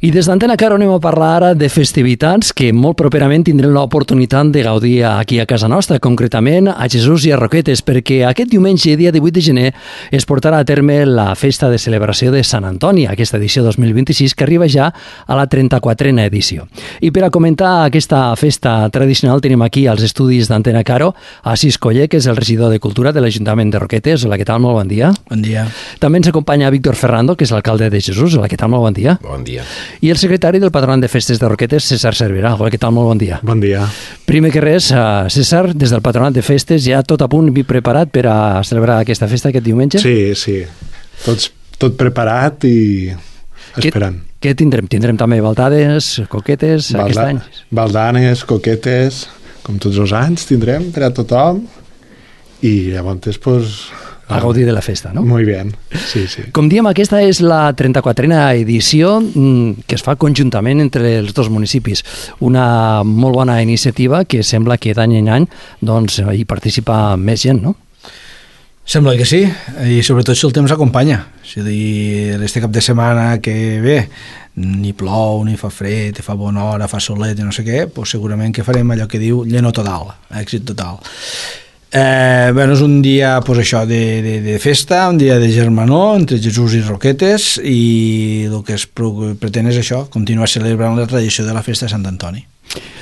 I des d'Antena Caro anem a parlar ara de festivitats que molt properament tindrem l'oportunitat de gaudir aquí a casa nostra, concretament a Jesús i a Roquetes, perquè aquest diumenge, dia 18 de gener, es portarà a terme la festa de celebració de Sant Antoni, aquesta edició 2026, que arriba ja a la 34a edició. I per a comentar aquesta festa tradicional tenim aquí als estudis d'Antena Caro a Asís Coller, que és el regidor de Cultura de l'Ajuntament de Roquetes. Hola, què tal? Molt bon dia. Bon dia. També ens acompanya Víctor Ferrando, que és l'alcalde de Jesús. Hola, què tal? Molt bon dia. Bon dia. I el secretari del Patronat de Festes de Roquetes, César Cerverà. Hola, què tal? Molt bon dia. Bon dia. Primer que res, César, des del Patronat de Festes, ja tot a punt i preparat per a celebrar aquesta festa aquest diumenge? Sí. Tot preparat i esperant. Què tindrem? Tindrem també baldades, coquetes, aquest any? Baldanes, coquetes, com tots els anys tindrem per a tothom, i llavors, pues, a gaudir de la festa, no? Muy bien, sí. Com diem, aquesta és la 34a edició que es fa conjuntament entre els dos municipis. Una molt bona iniciativa que sembla que d'any en any doncs, hi participa més gent, no? Sembla que sí, i sobretot si el temps acompanya. És a dir, este cap de setmana que ve ni plou, ni fa fred, fa bona hora, fa solet i no sé què, doncs segurament que farem allò que diu lleno total, èxit total. Bueno, és un dia de festa, un dia de germanor entre Jesús i Roquetes, i el que es pretén és això, continuar celebrant la tradició de la festa de Sant Antoni.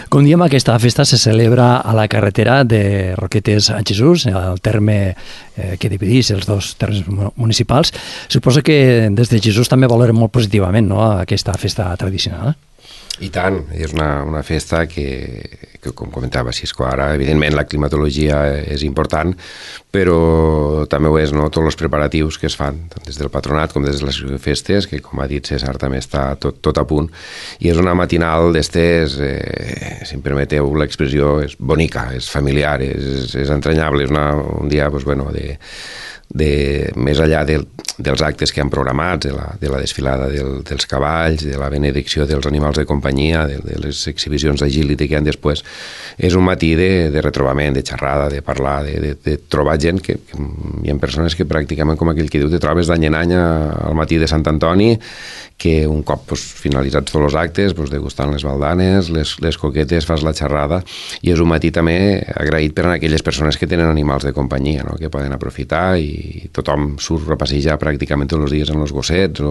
Com diem, aquesta festa se celebra a la carretera de Roquetes a Jesús, el terme que divideix els dos termes municipals. Suposo que des de Jesús també valorem molt positivament, no?, aquesta festa tradicional. I tant, és una festa que com comentava Cisco ara, evidentment la climatologia és important, però també ho és, no?, tots els preparatius que es fan, tant des del patronat com des de les festes, que com ha dit César també està tot a punt, i és una matinal d'estes, si em permeteu l'expressió, és bonica, és familiar, és entranyable, és un dia més enllà dels actes que han programats, de la desfilada dels cavalls, de la benedicció dels animals de companyia, de les exhibicions d'agility que hi ha després, és un matí de retrobament, de xerrada, de parlar, de trobar gent, que hi ha persones que pràcticament, com aquell que diu, te trobes d'any en any al matí de Sant Antoni, que un cop finalitzats tots els actes, degustant les baldanes, les coquetes, fas la xerrada, i és un matí també agraït per a aquelles persones que tenen animals de companyia, no?, que poden aprofitar, i tothom surt a passejar pràcticament tots els dies en els gossets,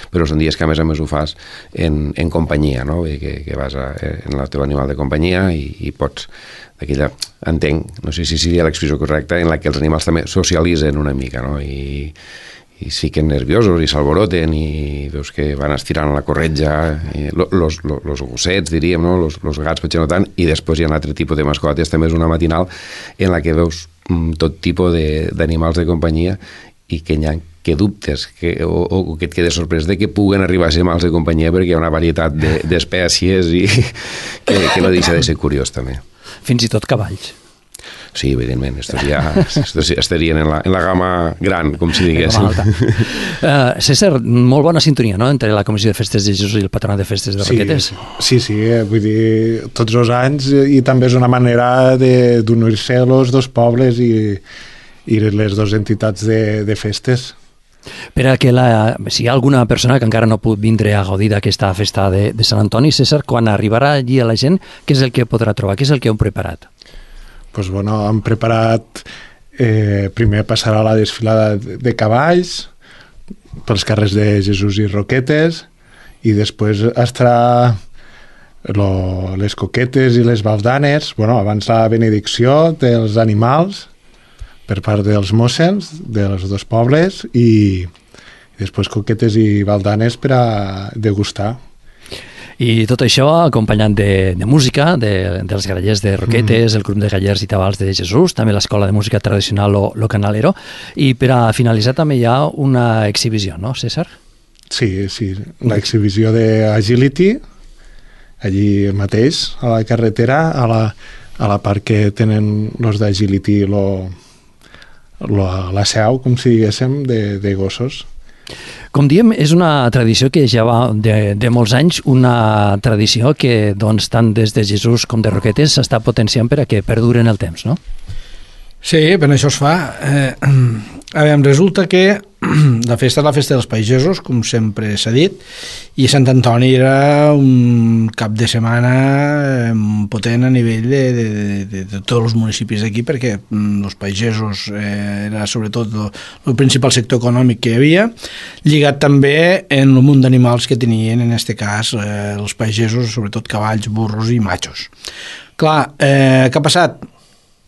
però són dies que a més ho fas en companyia, no?, que vas en el teu animal de companyia i pots d'aquella, entenc, no sé si seria l'expressió correcta, en la que els animals també socialitzen una mica, no?, i es fiquen nerviosos i s'alboroten i veus que van estirant la corretja, los gossets, diríem, no? Los gats potser no tant, i després hi ha un altre tipus de mascotes. També és una matinal en la que veus tot tipus d'animals de companyia i que hi ha que dubtes o que et quedes sorprès de que puguen arribar a ser animals de companyia, perquè hi ha una varietat d'espècies i que no deixa de ser curiós també. Fins i tot cavalls. Sí, evidentment, estos estarien en la gamma gran, com si diguéssim. César, molt bona sintonia, no?, entre la Comissió de Festes de Jesús i el Patronat de Festes de Roquetes. Sí, vull dir, tots els anys, i també és una manera d'unir-se els dos pobles i les dues entitats de festes. Per a que si hi ha alguna persona que encara no pot vindre a gaudir d'aquesta festa de Sant Antoni, César, quan arribarà allí a la gent, què és el que podrà trobar? Què és el que heu preparat? Doncs hem preparat, primer passarà la desfilada de cavalls pels carrers de Jesús i Roquetes, i després estarà les coquetes i les baldanes, abans la benedicció dels animals per part dels mossens dels dos pobles, i després coquetes i baldanes per a degustar. I tot això acompanyat de música, dels grallers de Roquetes, el grup de grallers i tabals de Jesús, també l'Escola de Música Tradicional Lo Canalero, i per a finalitzar també hi ha una exhibició, no, César? Sí, l'exhibició d'Agility, allí mateix, a la carretera, a la part que tenen els d'Agility la seu, com si diguéssim, de gossos. Com diem, és una tradició que ja va de molts anys, una tradició que doncs, tant des de Jesús com de Roquetes s'està potenciant per a que perduren el temps, no? Sí, per això es fa. A veure, resulta que la festa és la festa dels pagesos, com sempre s'ha dit, i Sant Antoni era un cap de setmana potent a nivell de tots els municipis d'aquí, perquè els pagesos era sobretot el principal sector econòmic que hi havia, lligat també en el munt d'animals que tenien, en aquest cas, els pagesos, sobretot cavalls, burros i matxos. Clar, què ha passat?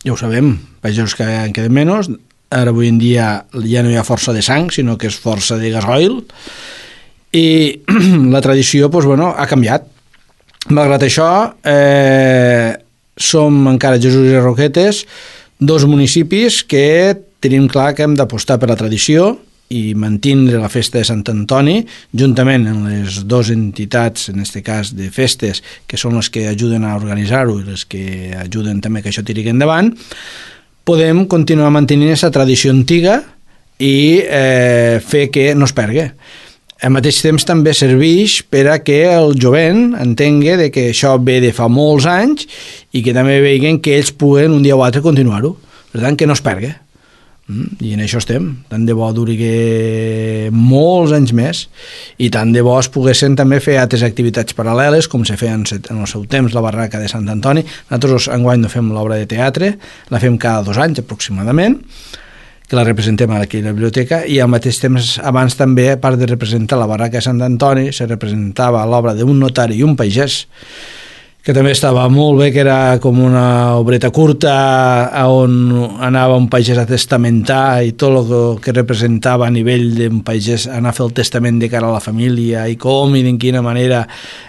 Ja ho sabem, pagesos que en queden menys. Ara avui en dia ja no hi ha força de sang, sinó que és força de gasoil, i la tradició ha canviat. Malgrat això, som encara Jesús i Roquetes, dos municipis que tenim clar que hem d'apostar per la tradició i mantindre la festa de Sant Antoni, juntament amb les dues entitats, en aquest cas de festes, que són les que ajuden a organitzar-ho i les que ajuden també que això tiri endavant, podem continuar mantenint aquesta tradició antiga i fer que no es perdi. Al mateix temps també serveix per a que el jovent entengui que això ve de fa molts anys i que també vegin que ells puguen un dia o altre continuar-ho. Per tant, que no es perdi. I en això estem. Tant de bo duri molts anys més i tant de bo es poguessin també fer altres activitats paral·leles, com se feia en el seu temps la barraca de Sant Antoni. Nosaltres enguany no fem l'obra de teatre, la fem cada 2 anys aproximadament, que la representem aquí a la biblioteca, i al mateix temps abans també, a part de representar la barraca de Sant Antoni, se representava l'obra d'un notari i un pagès, que també estava molt bé, que era com una obreta curta on anava un pagès a testamentar i tot el que representava a nivell d'un pagès, anar a fer el testament de cara a la família i com i de quina manera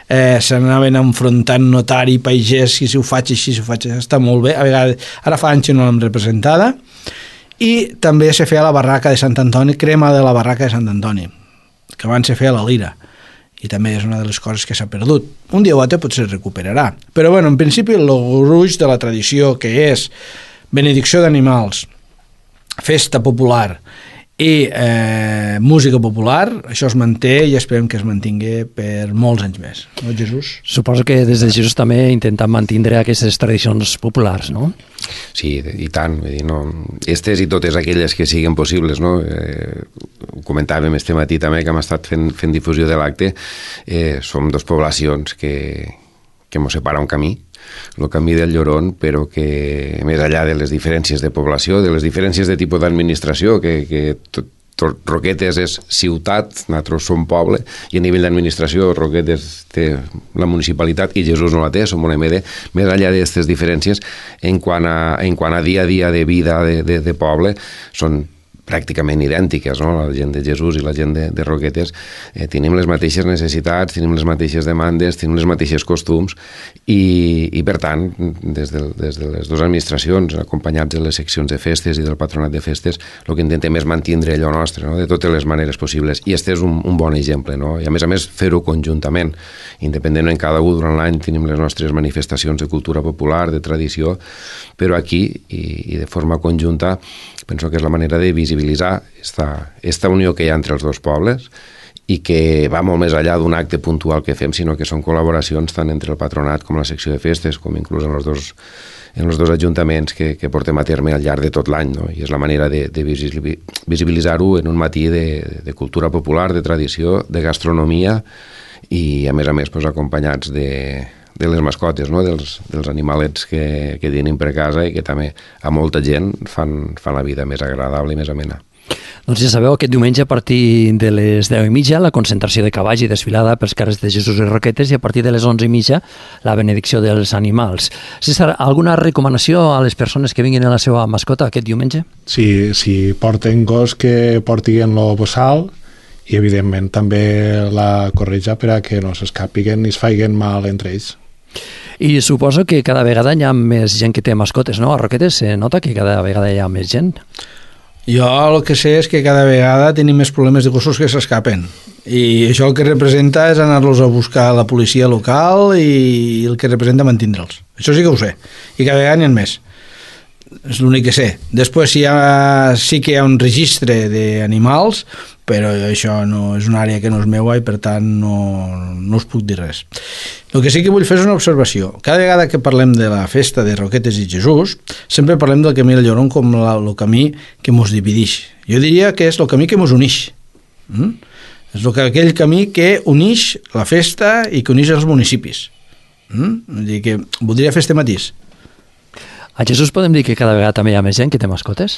s'anaven enfrontant notari i pagès, si ho faig així, si ho faig així, està molt bé. A vegades, ara fa anys que no l'hem representada. I també se feia la barraca de Sant Antoni, crema de la barraca de Sant Antoni, que abans se feia la lira, i també és una de les coses que s'ha perdut. Un dia o altre potser es recuperarà. Però bueno, en principi el gruix de la tradició, que és benedicció d'animals, festa popular i música popular, això es manté i esperem que es mantingui per molts anys més. No, Jesús? Suposo que des de Jesús també intentem mantenir aquestes tradicions populars, no? Sí, i tant. Vull dir, no, estes i totes aquelles que siguin possibles, no? Ho comentàvem este matí també, que hem estat fent difusió de l'acte. Som dos poblacions que mos separa un camí, el camí del Llorón, però que més enllà de les diferències de població, de les diferències de tipus d'administració, que Roquetes és ciutat, nosaltres som poble, i a nivell d'administració Roquetes té la municipalitat i Jesús no la té, som una MD. Més enllà d'aquestes diferències, en quant a dia a dia de vida de poble, són pràcticament idèntiques, no? La gent de Jesús i la gent de Roquetes tenim les mateixes necessitats, tenim les mateixes demandes, tenim les mateixes costums i per tant, des de les dues administracions, acompanyats de les seccions de festes i del patronat de festes, el que intentem és mantindre allò nostre, no? De totes les maneres possibles, i este és un bon exemple, no? I a més fer-ho conjuntament, independentment cada un durant l'any tenim les nostres manifestacions de cultura popular, de tradició, però aquí i de forma conjunta penso que és la manera de visibilitzar esta unió que hi ha entre els dos pobles i que va molt més enllà d'un acte puntual que fem, sinó que són col·laboracions tant entre el patronat com la secció de festes, com inclús en els dos ajuntaments que portem a terme al llarg de tot l'any, no? I és la manera de visibilitzar-ho en un matí de cultura popular, de tradició, de gastronomia i a més pues, acompanyats de les mascotes, no? dels animalets que tenim per casa i que també a molta gent fan la vida més agradable i més amena. Doncs ja sabeu, aquest diumenge a partir de les 10:30 la concentració de cavalls i desfilada pels carrers de Jesús i Roquetes, i a partir de les 11:30 la benedicció dels animals. César, alguna recomanació a les persones que vinguin a la seva mascota aquest diumenge? Sí, si porten gos, que portin el bossal i evidentment també la corretja per a que no s'escapiguen ni es faiguen mal entre ells. I suposo que cada vegada hi ha més gent que té mascotes, no? A Roquetes se nota que cada vegada hi ha més gent. Jo el que sé és que cada vegada tenim més problemes de gossos que s'escapen, i això el que representa és anar-los a buscar a la policia local i el que representa mantindre'ls. Això sí que ho sé, i cada vegada n'hi ha més. És l'únic que sé. Després sí que hi ha un registre d'animals, però això no és una àrea que no és meua i per tant no us puc dir res. El que sí que vull fer és una observació. Cada vegada que parlem de la festa de Roquetes i Jesús, sempre parlem del camí del Llorón com el camí que mos divideix. Jo diria que és el camí que mos uneix. És aquell camí que uneix la festa i que uneix els municipis. Vull dir que voldria fer este matís. A Jesús podem dir que cada vegada també hi ha més gent que té mascotes?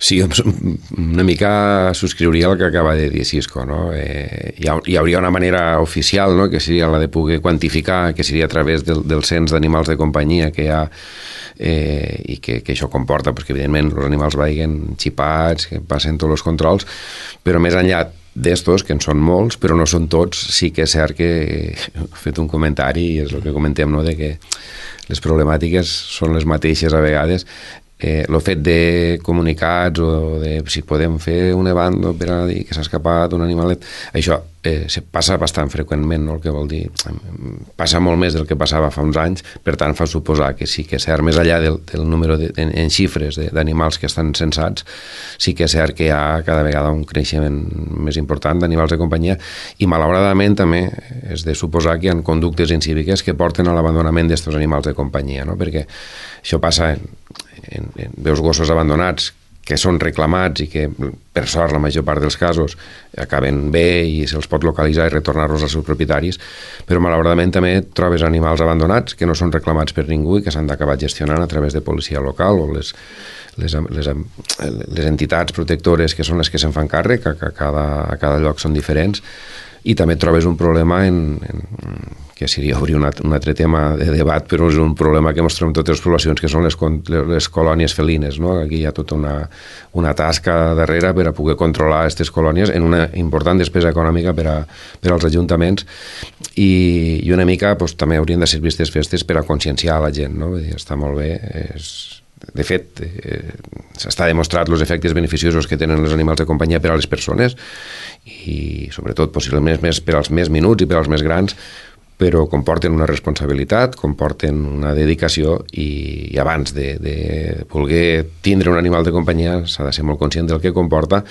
Sí, una mica subscriuria el que acaba de dir Cisco, no? Hi hauria una manera oficial, no?, que seria la de poder quantificar, que seria a través del cens d'animals de companyia que hi ha i que això comporta, perquè evidentment els animals vagin xipats, que passen tots els controls, però més enllà d'estos, que en són molts, però no són tots, sí que és cert que he fet un comentari, i és el que comentem, no?, de que les problemàtiques són les mateixes a vegades. El fet de comunicats o de si podem fer un event per a dir que s'ha escapat un animalet, això passa bastant freqüentment, no? El que vol dir, passa molt més del que passava fa uns anys, per tant fa suposar que sí que és cert, més enllà del número en xifres d'animals que estan censats, sí que és cert que hi ha cada vegada un creixement més important d'animals de companyia, i malauradament també és de suposar que hi ha conductes incíviques que porten a l'abandonament d'aquests animals de companyia, no? Perquè això passa veus gossos abandonats que són reclamats i que, per sort, la major part dels casos acaben bé i se'ls pot localitzar i retornar-los als seus propietaris, però malauradament també trobes animals abandonats que no són reclamats per ningú i que s'han d'acabar gestionant a través de policia local o les entitats protectores que són les que se'n fan càrrec, que a cada lloc són diferents, i també trobes un problema que seria obrir un altre tema de debat, però és un problema que mostrem totes les poblacions, que són les colònies felines, no? Aquí hi ha tota una tasca darrere per a poder controlar aquestes colònies en una important despesa econòmica per als ajuntaments, i una mica també haurien de servir aquestes festes per a conscienciar la gent, no? Vull dir, està molt bé, de fet, s'està demostrat els efectes beneficiosos que tenen els animals de companyia per a les persones, i sobretot possiblement més per als més minuts i per als més grans, però comporten una responsabilitat, comporten una dedicació, i abans de voler tindre un animal de companyia s'ha de ser molt conscient del que comporta,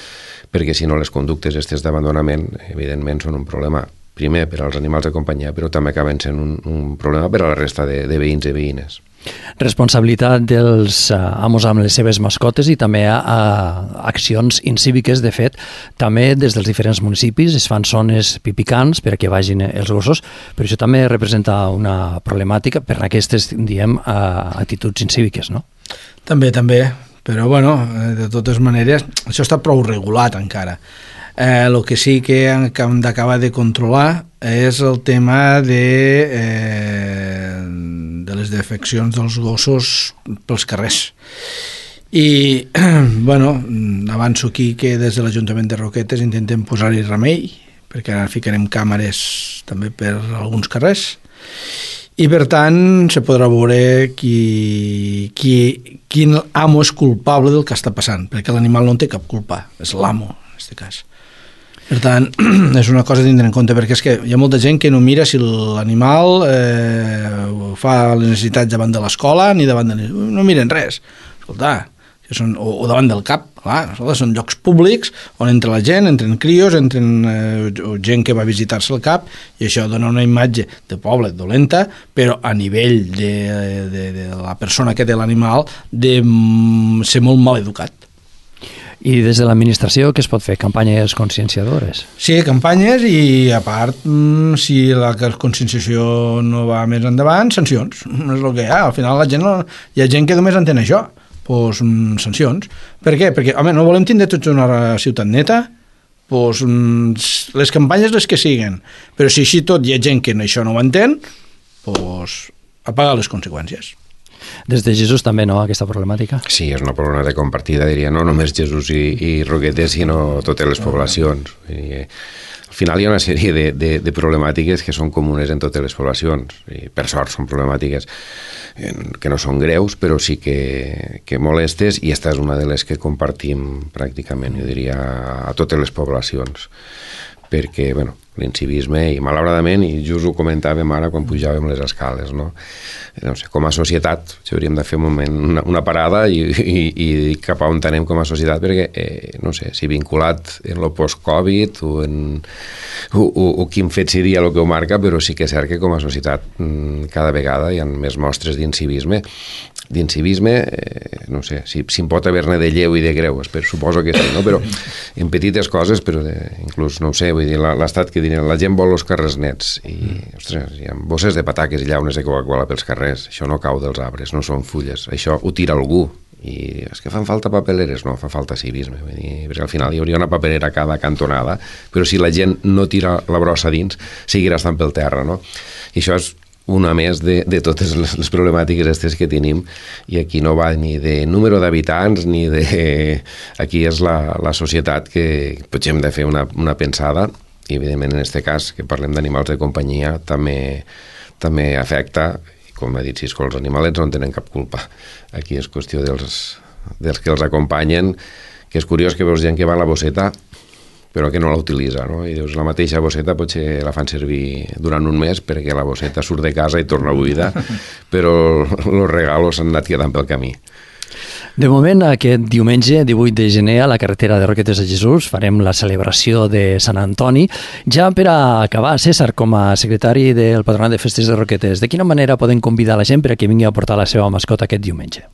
perquè si no les conductes aquestes d'abandonament evidentment són un problema primer per als animals de companyia, però també acaben sent un problema per a la resta de veïns i veïnes. Responsabilitat dels amos amb les seves mascotes i també accions incíviques. De fet, també des dels diferents municipis es fan zones pipicants per a que vagin els gossos, però això també representa una problemàtica per aquestes, diem, actituds incíviques, no? També, però bueno, de totes maneres, això està prou regulat encara. El que sí que hem d'acabar de controlar és el tema de les defeccions dels gossos pels carrers. I, bueno, avanço aquí que des de l'Ajuntament de Roquetes intentem posar-hi remei, perquè ara ficarem càmeres també per alguns carrers, i per tant se podrà veure quin amo és culpable del que està passant, perquè l'animal no en té cap culpa, és l'amo en aquest cas. Per tant, és una cosa a tindre en compte, perquè és que hi ha molta gent que no mira si l'animal fa les necessitats davant de l'escola ni davant de... no miren res. Escolta, o davant del cap, clar, són llocs públics on entra la gent, entren crios, entren gent que va visitar-se al cap, i això dona una imatge de poble dolenta, però a nivell de la persona que té l'animal de ser molt mal educat. I des de l'administració què es pot fer? Campanyes conscienciadores? Sí, campanyes, i a part, si la conscienciació no va més endavant, sancions. És el que hi ha. Al final hi ha gent que només entén això. Doncs sancions. Per què? Perquè, home, no volem tindre tots una ciutat neta, doncs les campanyes les que siguen. Però si així tot hi ha gent que això no ho entén, doncs a pagar les conseqüències. Des de Jesús també, no, aquesta problemàtica? Sí, és una problemàtica compartida, diria, no només Jesús i Roquetes, sinó totes les poblacions. Al final hi ha una sèrie de problemàtiques que són comunes en totes les poblacions, i per sort són problemàtiques que no són greus, però sí que molestes, i esta és una de les que compartim pràcticament, jo diria, a totes les poblacions, perquè, bueno, l'incivisme, i malauradament, i just ho comentàvem ara quan pujàvem les escales, no? No sé, com a societat hauríem de fer un moment una parada i cap a on anem com a societat, perquè no sé, si vinculat en lo post-Covid o quin fet seria el que ho marca, però sí que és cert que com a societat cada vegada hi ha més mostres d'incivisme, no sé, si en pot haver-ne de lleu i de greu, suposo que sí, no? Però en petites coses, però inclús, no ho sé, vull dir, l'estat que diuen, la gent vol els carrers nets i, ostres, hi ha bosses de pataques i llaunes de Coca-Cola pels carrers, això no cau dels arbres, no són fulles, això ho tira algú, i és que fan falta papeleres, no, fa falta civisme, vull dir, perquè al final hi hauria una paperera a cada cantonada, però si la gent no tira la brossa dins, seguirà estant pel terra, no? I això és una més de totes les problemàtiques aquestes que tenim, i aquí no va ni de número d'habitants ni de... Aquí és la societat que potser hem de fer una pensada, i evidentment en aquest cas que parlem d'animals de companyia també afecta, i com ha dit Cisco, els animalets no en tenen cap culpa. Aquí és qüestió dels que els acompanyen, que és curiós que veus gent que va a la bosseta però que no la utilitza, no? I dius, la mateixa bosseta potser la fan servir durant un mes perquè la bosseta surt de casa i torna buida, però els regalos s'han anat quedant pel camí. De moment, aquest diumenge, 18 de gener, a la carretera de Roquetes de Jesús, farem la celebració de Sant Antoni. Ja per a acabar, César, com a secretari del Patronat de Festes de Roquetes, de quina manera poden convidar la gent perquè vingui a portar la seva mascota aquest diumenge?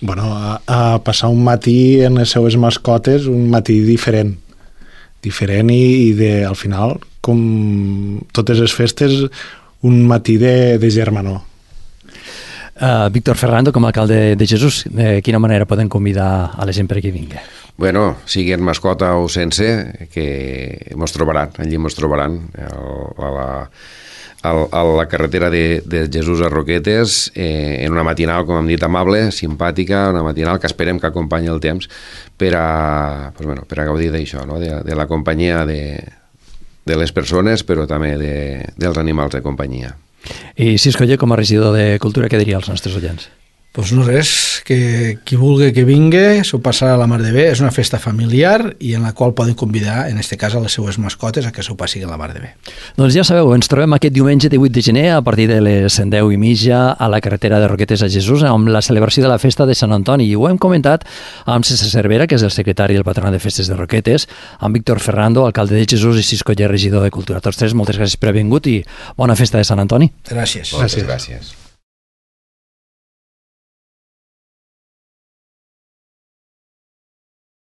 Bueno, a passar un matí en les seues mascotes, un matí diferent i al final, com totes les festes, un matí de germanor. Víctor Ferrando, com a alcalde de Jesús, de quina manera poden convidar a la gent perquè vingui? Bueno, sigui en mascota o sense, que mos trobaran, allí mos trobaran a la carretera de Jesús a Roquetes, en una matinal, com hem dit, amable, simpàtica, una matinal que esperem que acompanyi el temps per a gaudir d'això, no? De la companyia de les persones, però també dels animals de companyia. I Cisco, com a regidor de Cultura, què diria als nostres oients? Doncs no res, que qui vulgui que vingui, s'ho passarà a la mar de bé, és una festa familiar i en la qual poden convidar, en aquest cas, a les seues mascotes a que s'ho passin a la mar de bé. Doncs ja sabeu, ens trobem aquest diumenge 18 de gener a partir de les 10:30 a la carretera de Roquetes a Jesús amb la celebració de la festa de Sant Antoni, i ho hem comentat amb César Cervera, que és el secretari del Patronat de Festes de Roquetes, amb Víctor Ferrando, alcalde de Jesús, i Cisco, regidor de Cultura. Tots tres, moltes gràcies per haver vingut i bona festa de Sant Antoni. Gràcies. Moltes gràcies.